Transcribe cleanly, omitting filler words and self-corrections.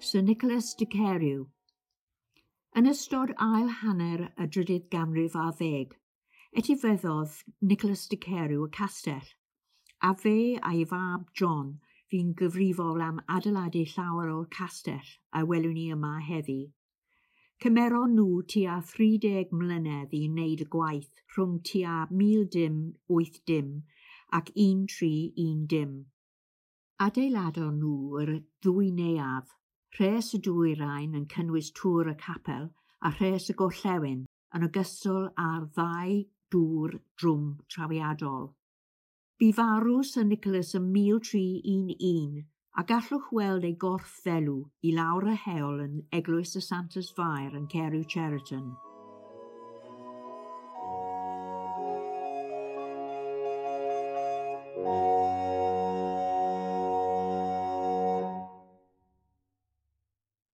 Sir Nicholas de Carew. Yn ystod ail hanner y drydydd ganrif ar ddeg, etifeddodd Nicholas de Carew y castell, a fe a'i fab John fu'n gyfrifol am adeiladu llawer o'r castell a welwn ni yma heddi. Cymeron nhw tua 30 mlynedd i wneud y gwaith rhwng tua 1080 ac 1310. Adeiladon nhw yr ddwy neuadd, rhes y dwyrain yn cynnwys tŵr y capel a rhes y gorllewin yn ogystal â'r ddau dŵr drwm trawiadol. Bu farw Sir Nicholas ym 1311 a gallwch weld ei gorff ddelw i lawr y heol yn Eglwys y Santes Fair yn Carew Cheriton.